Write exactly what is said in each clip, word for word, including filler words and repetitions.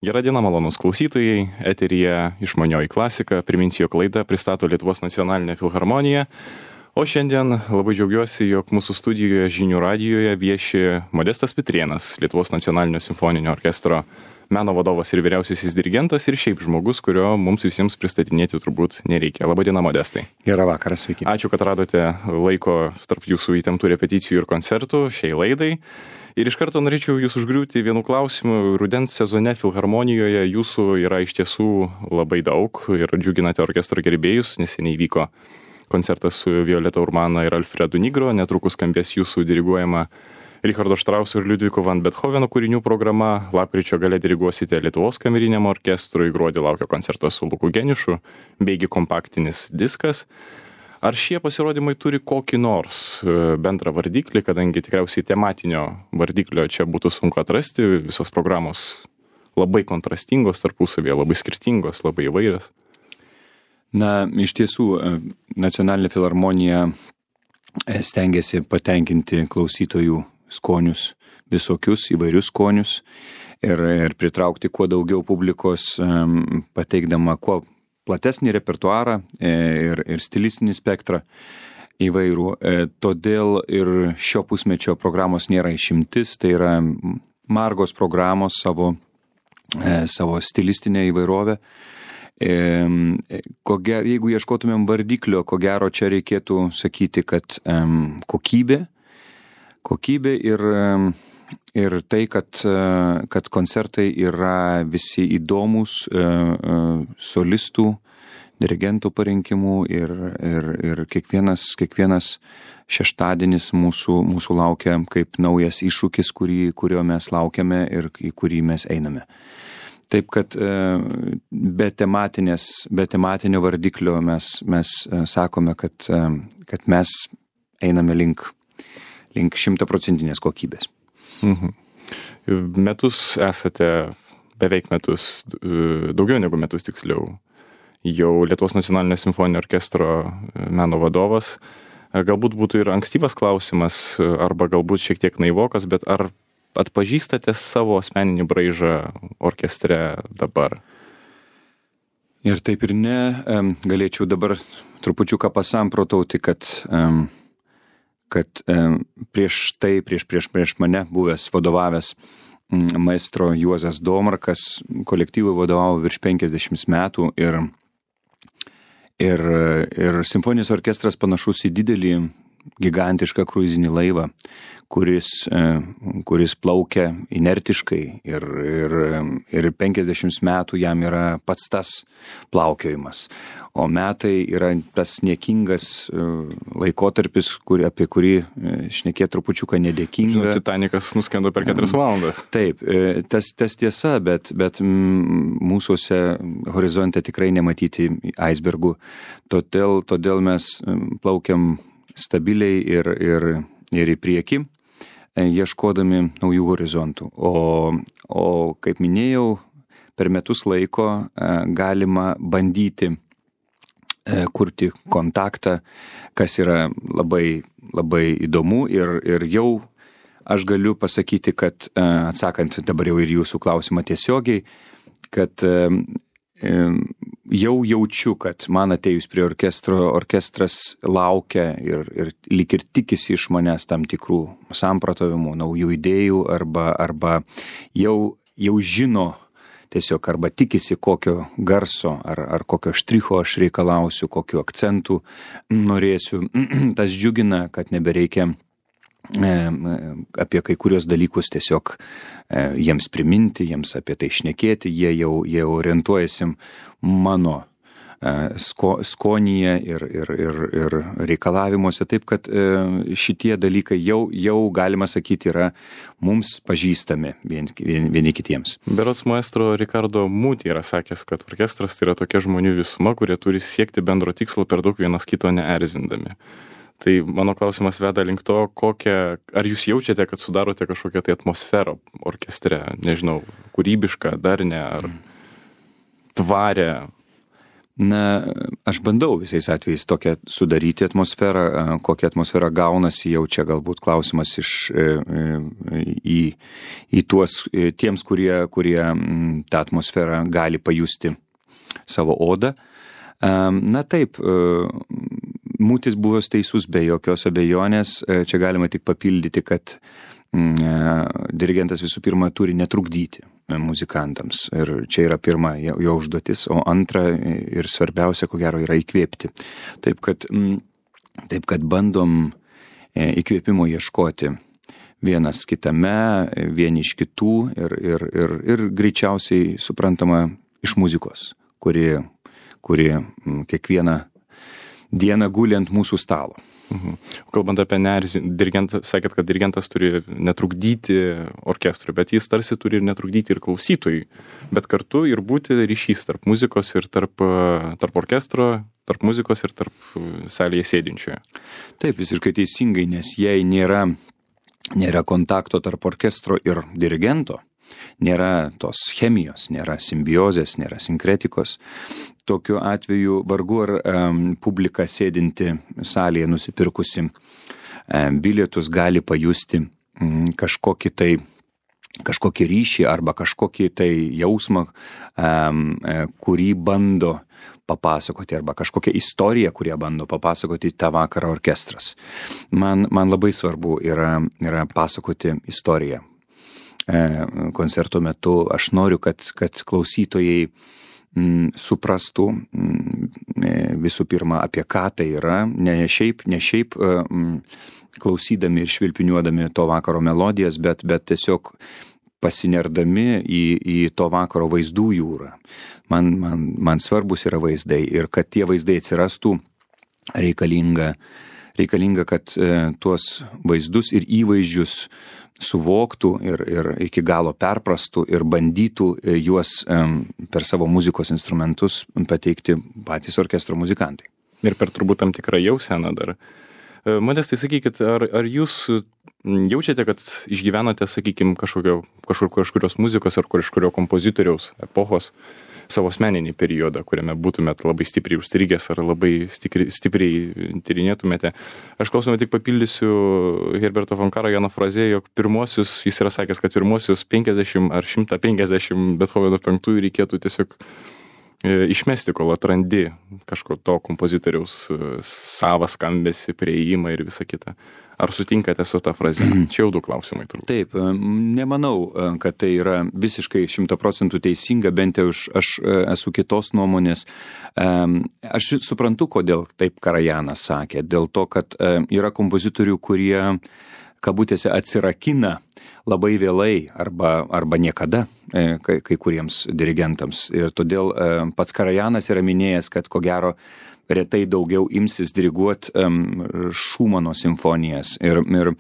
Gerą dieną, malonūs klausytojai, eteryje Išmanioji klasika, priminsiu, jog laidą pristato Lietuvos nacionalinė filharmonija, o šiandien labai džiaugiuosi, jog mūsų studijoje Žinių radijoje vieši Modestas Pitrėnas, Lietuvos nacionalinio simfoninio orkestro meno vadovas ir vyriausiasis dirigentas ir šiaip žmogus, kurio mums visiems pristatinėti turbūt nereikia. Labadiena, Modestai. Gerą vakarą, sveiki. Ačiū, kad radote laiko tarp jūsų įtemptų repeticijų ir koncertų šiai laidai. Ir iš karto norėčiau jūs užgriūti vienu klausimu. Rudens sezone filharmonijoje jūsų yra iš tiesų labai daug ir džiuginate orkestro gerbėjus. Neseniai vyko koncertas su Violeta Urmana ir Alfredu Nigro. Netrukus skambės jūsų diriguojama Richardo Štrauso ir Liudviko van Bethoveno kūrinių programa. Lapkričio gale diriguosite Lietuvos kameriniam orkestrui. Gruodį laukia koncertas su Luku Geniušu, beigi kompaktinis diskas. Ar šie pasirodymai turi kokį nors bendrą vardiklį, kadangi tikriausiai tematinio vardiklio čia būtų sunku atrasti, visos programos labai kontrastingos tarpusavėje, labai skirtingos, labai įvairios? Na, iš tiesų, Nacionalinė filharmonija stengiasi patenkinti klausytojų skonius, visokius įvairius skonius ir, ir pritraukti kuo daugiau publikos, pateikdama kuo platesnį repertuarą ir, ir stilistinį spektrą įvairių. Todėl ir šio pusmečio programos nėra išimtis, tai yra margos programos savo, savo stilistinę įvairovę. Ko gero, jeigu ieškotumėm vardiklio, ko gero čia reikėtų sakyti, kad kokybė, kokybė ir, ir tai, kad, kad koncertai yra visi įdomus solistų, dirigentų parinkimų ir, ir, ir kiekvienas, kiekvienas šeštadienis mūsų, mūsų laukia kaip naujas iššūkis, kurį, kurio mes laukiame ir į kurį mes einame. Taip, kad be tematinės, be tematinio vardiklio mes, mes sakome, kad, kad mes einame link, link šimtaprocentinės kokybės. Mhm. Metus esate, beveik metus, daugiau negu metus tiksliau, jau Lietuvos nacionalinio simfoninio orkestro meno vadovas. Galbūt būtų ir ankstyvas klausimas, arba galbūt šiek tiek naivokas, bet ar atpažįstate savo asmeninį braižą orkestre dabar? Ir taip ir ne. Galėčiau dabar trupučiuką pasamprotauti, kad, kad prieš tai, prieš, prieš, prieš mane buvęs vadovavęs maestro Juozas Domarkas kolektyvui vadovavo virš penkiasdešimt metų ir, ir, ir simfoninis orkestras panašus į didelį gigantišką kruizinį laivą, kuris, kuris plaukia inertiškai ir, ir, ir penkiasdešimt metų jam yra pats tas plaukiojimas. O metai yra tas niekingas laikotarpis, kur, apie kurį šnekėt trupučiuką nedėkinga. Žinau, Titanikas nuskendo per keturias valandas. Taip, tas, tas tiesa, bet, bet mūsųse horizonte tikrai nematyti aisbergų. Todėl, todėl mes plaukiam stabiliai ir, ir, ir į priekį, ieškodami naujų horizontų. O, o kaip minėjau, per metus laiko galima bandyti kurti kontaktą, kas yra labai, labai įdomu ir, ir jau aš galiu pasakyti, kad atsakant dabar jau ir jūsų klausimą tiesiogiai, kad jau jaučiu, kad man atėjus prie orkestro, orkestras laukia ir, ir lyg ir tikisi iš manęs tam tikrų samprotavimų, naujų idėjų arba, arba jau, jau žino tiesiog arba tikisi kokio garso ar, ar kokio štricho aš reikalausiu, kokiu akcentu norėsiu. Tas džiugina, kad nebereikia apie kai kurios dalykus tiesiog jiems priminti, jiems apie tai šnekėti, jie jau, jie orientuojasi mano sko, skonyje ir, ir, ir, ir reikalavimuose, taip kad šitie dalykai jau, jau galima sakyti yra mums pažįstami vieni, vieni, vieni kitiems. Berods maestro Ricardo Muti yra sakęs, kad orkestras tai yra tokia žmonių visuma, kurie turi siekti bendro tikslo per daug vienas kito neerzindami. Tai mano klausimas veda link to, kokią, ar jūs jaučiate, kad sudarote kažkokią tai atmosferą orkestre, nežinau, kūrybišką, darnę ar tvarę? Na, aš bandau visais atvejais tokią sudaryti atmosferą, kokią atmosferą gaunasi, jau čia galbūt klausimas iš, į, į tuos, tiems, kurie, kurie tą atmosferą gali pajusti savo odą. Na taip, Mūtis buvo teisus be jokios abejonės, čia galima tik papildyti, kad dirigentas visų pirma turi netrukdyti muzikantams. Ir čia yra pirma jo užduotis, o antra ir svarbiausia, ko gero, yra įkvėpti. Taip kad, taip kad bandom įkvėpimo ieškoti vienas kitame, vieni iš kitų ir, ir, ir, ir greičiausiai suprantama iš muzikos, kuri, kuri kiekvieną dieną guli ant mūsų stalo. Mhm. Kalbant apie neerzį, dirigentas, sakėt, kad dirigentas turi netrukdyti orkestrui, bet jis tarsi turi ir netrukdyti ir klausytojui, bet kartu ir būti ryšys tarp muzikos ir tarp, tarp orkestro, tarp muzikos ir tarp salėje sėdinčioje. Taip, visiškai teisingai, nes jei nėra, nėra kontakto tarp orkestro ir dirigento, nėra tos chemijos, nėra simbiozės, nėra sinkretikos. Tokiu atveju vargu ar um, publika sėdinti salėje nusipirkusi um, bilietus gali pajusti um, kažkokį tai, kažkokį ryšį arba kažkokį tai jausmą, um, kurį bando papasakoti arba kažkokią istoriją, kurią bando papasakoti tą vakarą orkestras. Man, man labai svarbu yra, yra pasakoti istoriją. Koncerto metu aš noriu, kad, kad klausytojai m, suprastų m, visų pirma, apie ką tai yra, ne šiaip, ne šiaip m, klausydami ir švilpiniuodami to vakaro melodijas, bet, bet tiesiog pasinerdami į, į to vakaro vaizdų jūrą. Man, man, man svarbus yra vaizdai ir kad tie vaizdai atsirastų, reikalinga, reikalinga kad e, tuos vaizdus ir įvaizdžius suvoktų ir, ir iki galo perprastų ir bandytų juos um, per savo muzikos instrumentus pateikti patys orkestro muzikantai. Ir per turbūt tam tikrą jauseną dar. Modestai, sakykit, ar, ar jūs jaučiate, kad išgyvenate, sakykime, kažkokio, kažkur, kažkurios muzikos ar kažkurio kompozitoriaus epochos savo asmeninį periodą, kuriame būtumėt labai stipriai užstrigęs ar labai stikri, stipriai tyrinėtumėte. Aš klausimą tik papildysiu Herberto von Karajan frazę, jog pirmosius, jis yra sakęs, kad pirmosius penkiasdešimt ar šimtą penkiasdešimt Bethoveno penktųjų reikėtų tiesiog išmesti, kol atrandi kažko to kompozitoriaus savą skambesį, prieimą ir visą kitą. Ar sutinkate su tą frazę? Čia jau du klausimai turbūt. Taip, nemanau, kad tai yra visiškai šimta procentų teisinga, bent jau aš, aš esu kitos nuomonės. Aš suprantu, kodėl taip Karajanas sakė, dėl to, kad yra kompozitorių, kurie kabutėse atsirakina labai vėlai arba, arba niekada kai, kai kuriems dirigentams. Ir todėl pats Karajanas yra minėjęs, kad ko gero retai daugiau imsis diriguoti um, Šumano simfonijas, ir, ir,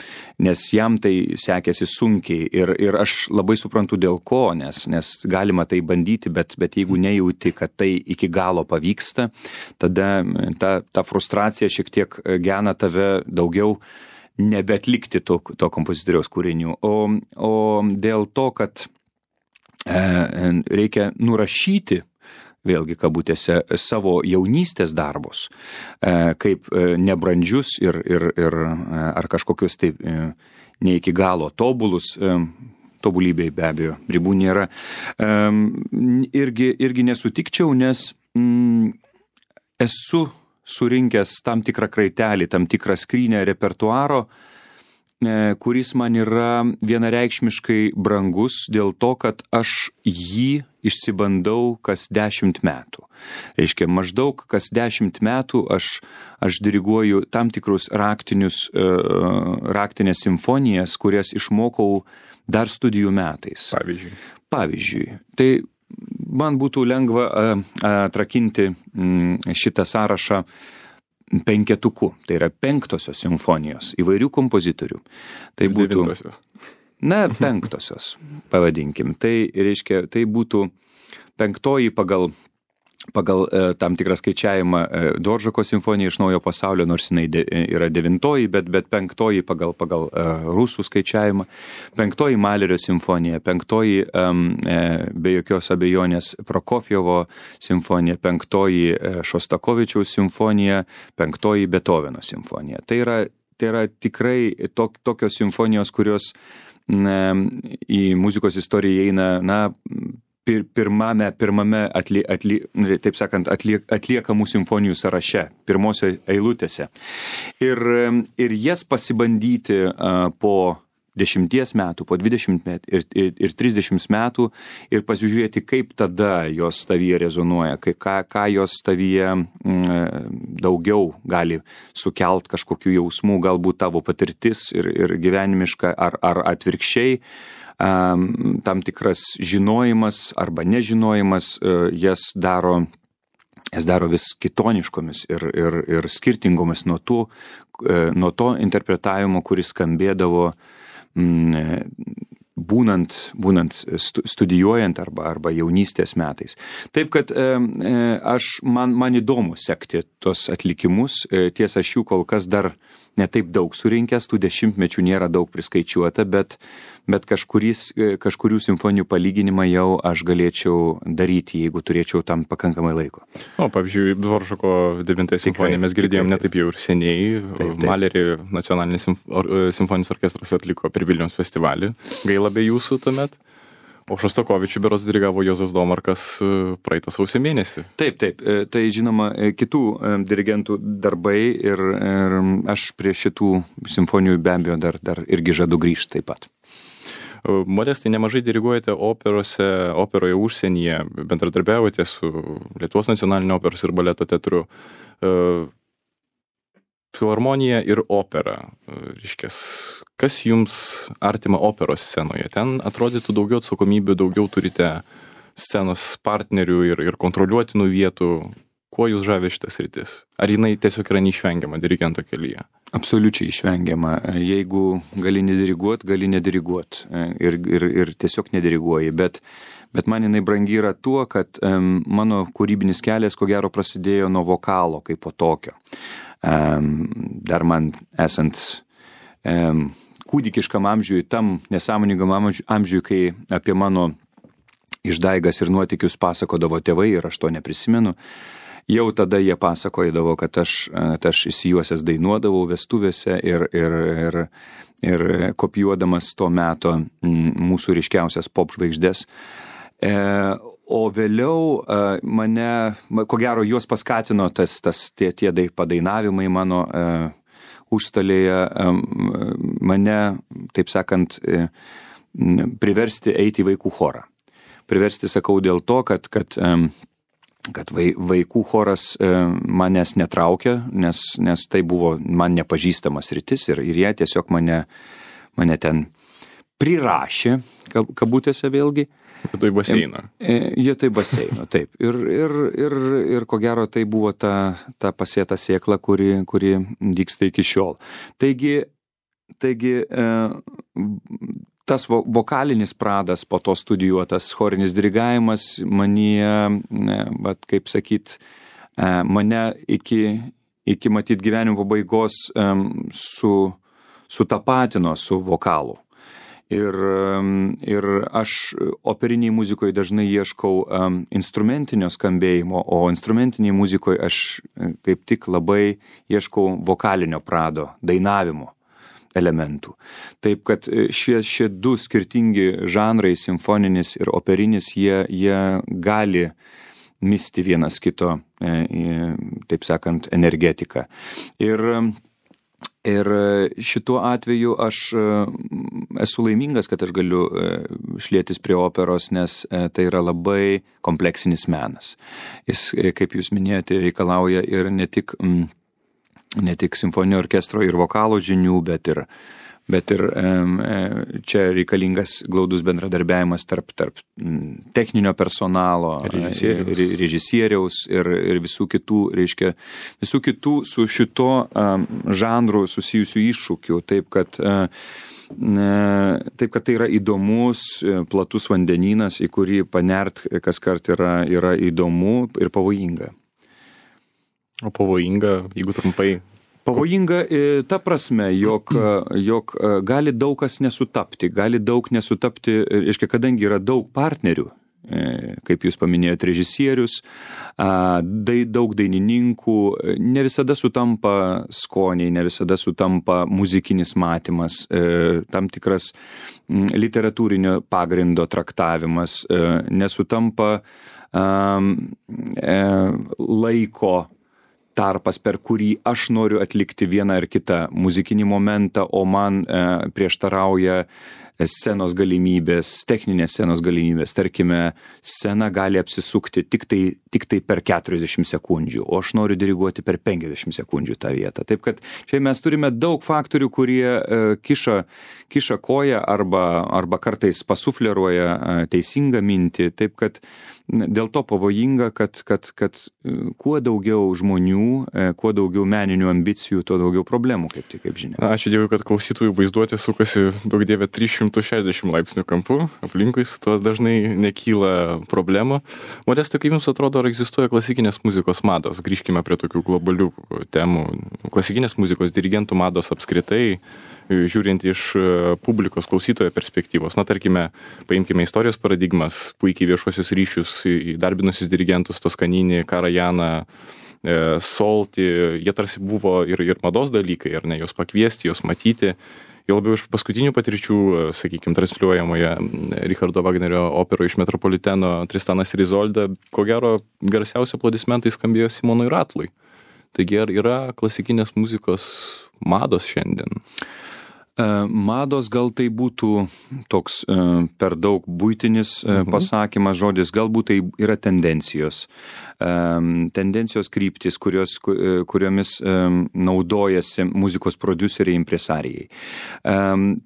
nes jam tai sekėsi sunkiai ir, ir aš labai suprantu dėl ko, nes, nes galima tai bandyti, bet, bet jeigu nejauti, kad tai iki galo pavyksta, tada ta, ta frustracija šiek tiek gena tave daugiau nebeatlikti to, to kompozitoriaus kūrinių. O, o dėl to, kad e, reikia nurašyti vėlgi kabutėse savo jaunystės darbus, kaip nebrandžius ir, ir, ir ar kažkokius tai ne iki galo tobulus, tobulybei be abejo ribų nėra, irgi, irgi nesutikčiau, nes mm, esu surinkęs tam tikrą kraitelį, tam tikrą skrynę repertuaro, kuris man yra vienareikšmiškai brangus dėl to, kad aš jį išsibandau kas dešimt metų. Reiškia, maždaug kas dešimt metų aš, aš diriguoju tam tikrus raktinius, raktinės simfonijas, kurias išmokau dar studijų metais. Pavyzdžiui. Pavyzdžiui. Tai man būtų lengva atrakinti šitą sąrašą penketuku, tai yra penktosios simfonijos įvairių kompozitorių. Tai būtų devintosios. Na, penktosios, pavadinkim. Tai reiškia, tai būtų penktoji pagal pagal e, tam tikrą skaičiavimą e, Dvoržako simfonija iš Naujo pasaulio, nors jinai de, yra devintoji, bet, bet penktoji pagal, pagal e, rusų skaičiavimą, penktoji Malerio simfonija, penktoji e, be jokios abejonės Prokofjevo simfonija, penktoji e, Šostakovičiaus simfonija, penktoji Beethoveno simfonija. Tai yra, tai yra tikrai tok, tokios simfonijos, kurios ne, į muzikos istoriją eina, na, Pir, pirmame, pirmame atlie, atlie, taip sakant, atlie, atliekamų simfonijų sąraše, pirmose eilutėse. Ir, ir jas pasibandyti uh, po dešimties metų, po dvidešimt metų ir, ir, ir trisdešimt metų ir pasižiūrėti, kaip tada jos tavyje rezonuoja, kai, ką, ką jos tavyje mm, daugiau gali sukelt kažkokių jausmų, galbūt tavo patirtis ir, ir gyvenimiška ar, ar atvirkščiai. Tam tikras žinojimas arba nežinojimas jas daro, jas daro vis kitoniškomis ir, ir, ir skirtingomis nuo, tų, nuo to interpretavimo, kuris skambėdavo būnant, būnant studijuojant arba, arba jaunystės metais. Taip, kad aš, man, man įdomu sekti tos atlikimus, tiesa, aš jų kol kas dar netaip daug surinkęs, tų dešimtmečių nėra daug priskaičiuota, bet, bet kažkuris, kažkurių simfonijų palyginimą jau aš galėčiau daryti, jeigu turėčiau tam pakankamai laiko. O, pavyzdžiui, Dvoržako devintąją simfoniją mes girdėjom netaip jau ir seniai. Taip, taip. Malerį nacionalinis simfoninis orkestras atliko per Vilniaus festivalį. Gaila be jūsų tuomet. O Šostakovičių berods dirigavo Juozas Domarkas praeitą sausio mėnesį. Taip, taip. Tai žinoma kitų dirigentų darbai ir, ir aš prie šitų simfonijų be abejo dar, dar irgi žadu grįžti taip pat. Modestai, nemažai diriguojate operose, operoje užsienyje, bendradarbiavote su Lietuvos nacionalinio operos ir baleto teatru. Filharmonija ir opera. Reiškias, kas jums artima operos scenoje? Ten atrodytų daugiau atsakomybių, daugiau turite scenos partnerių ir, ir kontroliuotinų vietų. Kuo jūs žavė šitas rytis? Ar jinai tiesiog yra neišvengiama dirigento kelyje? Absoliučiai išvengiama. Jeigu gali nediriguot, gali nediriguot. Ir, ir, ir tiesiog nediriguoji. Bet, bet man jinai brangi yra tuo, kad um, mano kūrybinis kelias, ko gero, prasidėjo nuo vokalo kaip po tokio. Um, dar man esant um, kūdikiškam amžiui, tam nesąmoningam amžiui, kai apie mano išdaigas ir nuotykius pasakodavo tėvai ir aš to neprisimenu, jau tada jie pasakodavo, kad aš, kad aš įsijuosęs dainuodavau vestuvėse ir, ir, ir, ir kopijuodamas to meto mūsų ryškiausias pop žvaigždės. E, O vėliau mane, ko gero, juos paskatino tas, tas tie, tie padainavimai mano uh, užstalėje, um, mane, taip sakant, uh, priversti eiti į vaikų chorą. Priversti, sakau, dėl to, kad, kad, um, kad vai, vaikų choras uh, manęs netraukia, nes, nes tai buvo man nepažįstamas rytis ir, ir jie tiesiog mane, mane ten prirašė, kabutėse vėlgi. Tai baseino. Jie tai baseino, taip. Ir, ir, ir, ir ko gero tai buvo ta, ta pasėta sėkla, kuri, kuri dygsta iki šiol. Taigi, taigi tas vokalinis pradas, po to studijuotas chorinis dirigavimas, manyje, bet kaip sakyt, mane iki, iki matyt gyvenimo pabaigos su, sutapatino su vokalu. Ir, ir aš operiniai muzikoje dažnai ieškau um, instrumentinio skambėjimo, o instrumentiniai muzikoje aš kaip tik labai ieškau vokalinio prado, dainavimo elementų. Taip, kad šie, šie du skirtingi žanrai, simfoninis ir operinis, jie, jie gali misti vienas kito, e, taip sakant, energetiką. Ir Ir šituo atveju aš esu laimingas, kad aš galiu šlietis prie operos, nes tai yra labai kompleksinis menas. Jis, kaip jūs minėjote, reikalauja ir ne tik, ne tik simfoninio orkestro ir vokalo žinių, bet ir, bet ir čia reikalingas glaudus bendradarbiavimas tarp, tarp techninio personalo, režisieriaus, režisieriaus ir, ir visų kitų, reiškia, visų kitų su šito žanru susijusių iššūkių, taip kad Taip, kad tai yra įdomus, platus vandenynas, į kurį panert kas kart yra, yra įdomu ir pavojinga. O pavojinga, jeigu trumpai? Pavojinga ta prasme, jog, jog gali daug kas nesutapti, gali daug nesutapti, reiškia, kadangi yra daug partnerių, kaip jūs paminėjote, režisierius, daug dainininkų, ne visada sutampa skoniai, ne visada sutampa muzikinis matymas, tam tikras literatūrinio pagrindo traktavimas, nesutampa laiko tarpas, per kurį aš noriu atlikti vieną ar kitą muzikinį momentą, o man prieštarauja scenos galimybės, techninės scenos galimybės. Tarkime, scena gali apsisukti tik tai, tik tai per keturiasdešimt sekundžių, o aš noriu diriguoti per penkiasdešimt sekundžių tą vietą. Taip kad čia mes turime daug faktorių, kurie e, kiša, kiša koją arba, arba kartais pasufleruoja teisingą mintį. Taip kad dėl to pavojinga, kad, kad, kad kuo daugiau žmonių, kuo daugiau meninių ambicijų, tuo daugiau problemų, kaip tik, kaip žinia. Ačiū Dievui, kad klausytojų vaizduotė sukasi daug dievė trys šimtai šešiasdešimt laipsnių kampu, aplinkui su tuo dažnai nekyla problemų. Modestai, kaip jums atrodo, ar egzistuoja klasikinės muzikos mados? Grįžkime prie tokių globalių temų. Klasikinės muzikos dirigentų mados apskritai, žiūrint iš publikos klausytojo perspektyvos. Na, tarkime, paimkime istorijos paradigmas, puikiai viešuosius ryšius, įdarbinusius dirigentus Toskaninį, Karajaną, Solti, jie tarsi buvo ir, ir mados dalykai, ar ne, jos pakviesti, jos matyti. Jau labiau iš paskutinių patirčių, sakykime, transliuojamoje Richardo Wagnerio operoje iš Metropoliteno Tristanas ir Izolda, ko gero garsiausi aplodismentai skambėjo Simonui Ratlui. Taigi ar yra klasikinės muzikos mados šiandien? Mados gal tai būtų toks per daug buitinis pasakymas, žodis, galbūt tai yra tendencijos. Tendencijos kryptis, kurios, kuriomis naudojasi muzikos prodiuseriai, impresarijai.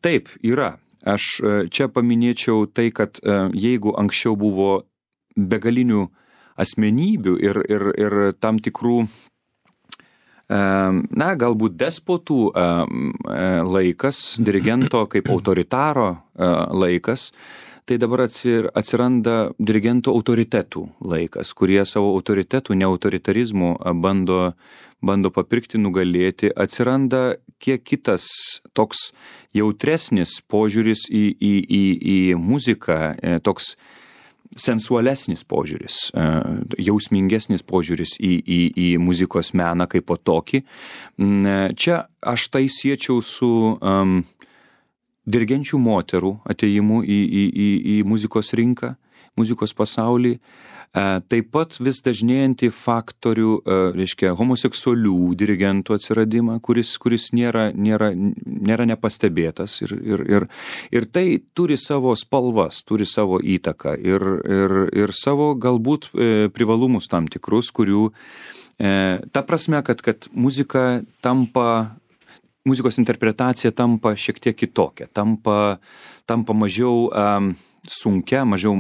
Taip, yra. Aš čia paminėčiau tai, kad jeigu anksčiau buvo begalinių asmenybių ir, ir, ir tam tikrų na, galbūt despotų laikas, dirigento kaip autoritaro laikas, tai dabar atsiranda dirigentų autoritetų laikas, kurie savo autoritetų, neautoritarizmų bando, bando papirkti, nugalėti. Atsiranda kiek kitas toks jautresnis požiūris į, į, į, į muziką, toks sensualesnis požiūris, jausmingesnis požiūris į, į, į muzikos meną kaip po tokį. Čia aš tai siečiau su um, dirigenčių moterų atėjimu į, į, į, į muzikos rinką, muzikos pasaulį. Taip pat vis dažnėjantį faktorių, reiškia, homoseksualių dirigentų atsiradimą, kuris, kuris nėra, nėra, nėra nepastebėtas. Ir, ir, ir, ir tai turi savo spalvas, turi savo įtaką ir, ir, ir savo galbūt privalumus tam tikrus, kurių ta prasme, kad, kad muzika tampa, muzikos interpretacija tampa šiek tiek kitokia, tampa, tampa mažiau um, sunkia, mažiau,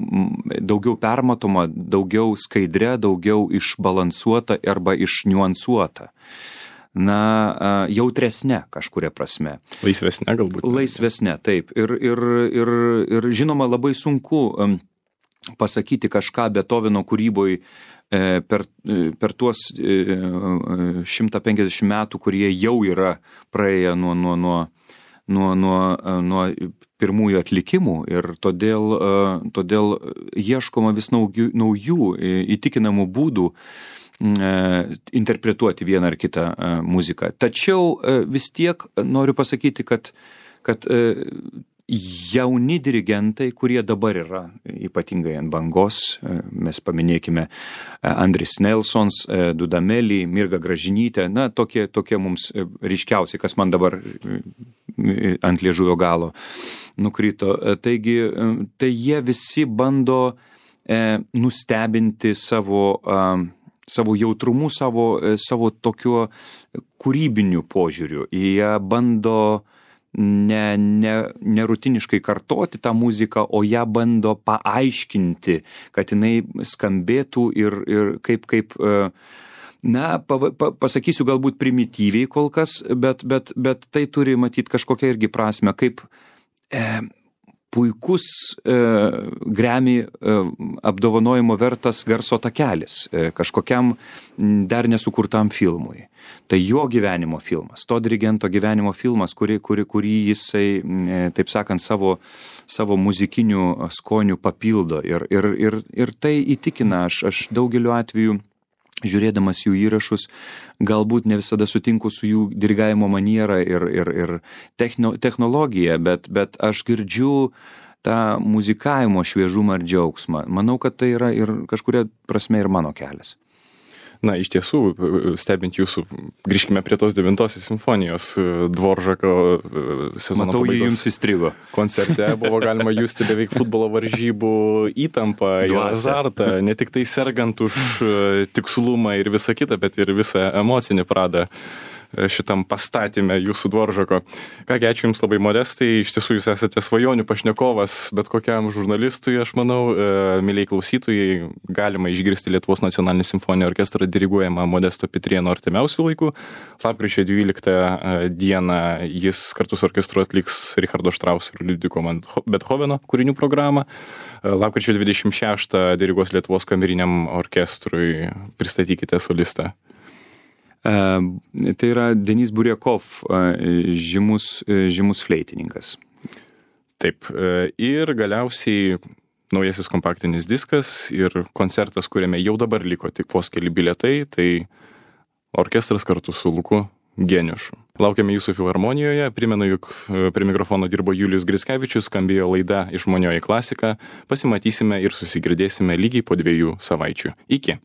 daugiau permatoma, daugiau skaidrė, daugiau išbalansuota arba išniuansuota. Na, jautresnė kažkuria prasme. Laisvesnė galbūt. Laisvesnė, taip. Ir, ir, ir, ir žinoma, labai sunku pasakyti kažką Beethoveno kūryboj per, per tuos šimtą penkiasdešimt metų, kurie jau yra praėję nuo, nuo, nuo, nuo, nuo, nuo pirmųjų atlikimų ir todėl, todėl ieškoma vis naujų, naujų įtikinamų būdų interpretuoti vieną ar kitą muziką. Tačiau vis tiek noriu pasakyti, kad, kad jauni dirigentai, kurie dabar yra ypatingai ant bangos, mes paminėkime Andris Nelsons, Dudameli, Mirga Gražinytė, na, tokie, tokie mums ryškiausiai, kas man dabar ant liežuvio galo nukrito. Taigi, tai jie visi bando nustebinti savo, savo jautrumu, savo, savo tokiu kūrybiniu požiūriu. Jie bando ne, ne, nerutiniškai kartoti tą muziką, o ją bando paaiškinti, kad jinai skambėtų ir, ir kaip, kaip na, pa, pa, pasakysiu galbūt primityviai kol kas, bet, bet, bet tai turi matyti kažkokią irgi prasme, kaip e, puikus e, Grammy e, apdovanojimo vertas garso takelis e, kažkokiam dar nesukurtam filmui. Tai jo gyvenimo filmas, to dirigento gyvenimo filmas, kurį, kurį, kurį jisai, e, taip sakant, savo, savo muzikinių skonių papildo. Ir, ir, ir, ir tai įtikina, aš, aš daugeliu atveju, žiūrėdamas jų įrašus, galbūt ne visada sutinku su jų dirigavimo maniera ir, ir, ir techno, technologija, bet, bet aš girdžiu tą muzikavimo šviežumą ir džiaugsmą. Manau, kad tai yra ir kažkuria prasme ir mano kelias. Na, iš tiesų, stebint jūsų, grįžkime prie tos devintosios simfonijos Dvoržako sezono Matau, pabaigos. Matau, jums įstrigo. Koncerte buvo galima justi beveik futbolo varžybų įtampą ir azartą, ne tik tai sergant už tikslumą ir visą kitą, bet ir visą emocinį pradą šitam pastatyme jūsų Dvoržako. Kągi, ačiū Jums labai, Modestai, iš tiesų Jūs esate svajonių pašnekovas, bet kokiam žurnalistui, aš manau, mėlyjei klausytojai, galima išgirsti Lietuvos nacionalinį simfoninį orkestrą diriguojamą Modesto Pitrėno artimiausių laikų. Lapkričio dvyliktą dieną jis kartu su orkestru atliks Richardo Štrauso ir Liudviko Bethoveno kūrinių programą. Lapkričio dvidešimt šeštą diriguos Lietuvos kameriniam orkestrui. Pristatykite solistą. Uh, tai yra Denis Buriakov, uh, žymus, uh, žymus fleitininkas. Taip, uh, ir galiausiai naujasis kompaktinis diskas ir koncertas, kuriame jau dabar liko tik vos keli bilietai, tai orkestras kartu su Luku Geniušu. Laukiame Jūsų filharmonijoje, primenu, jog prie mikrofono dirbo Julijus Grickevičius, skambėjo laida Išmanioji klasika, pasimatysime ir susigirdėsime lygiai po dviejų savaičių. Iki.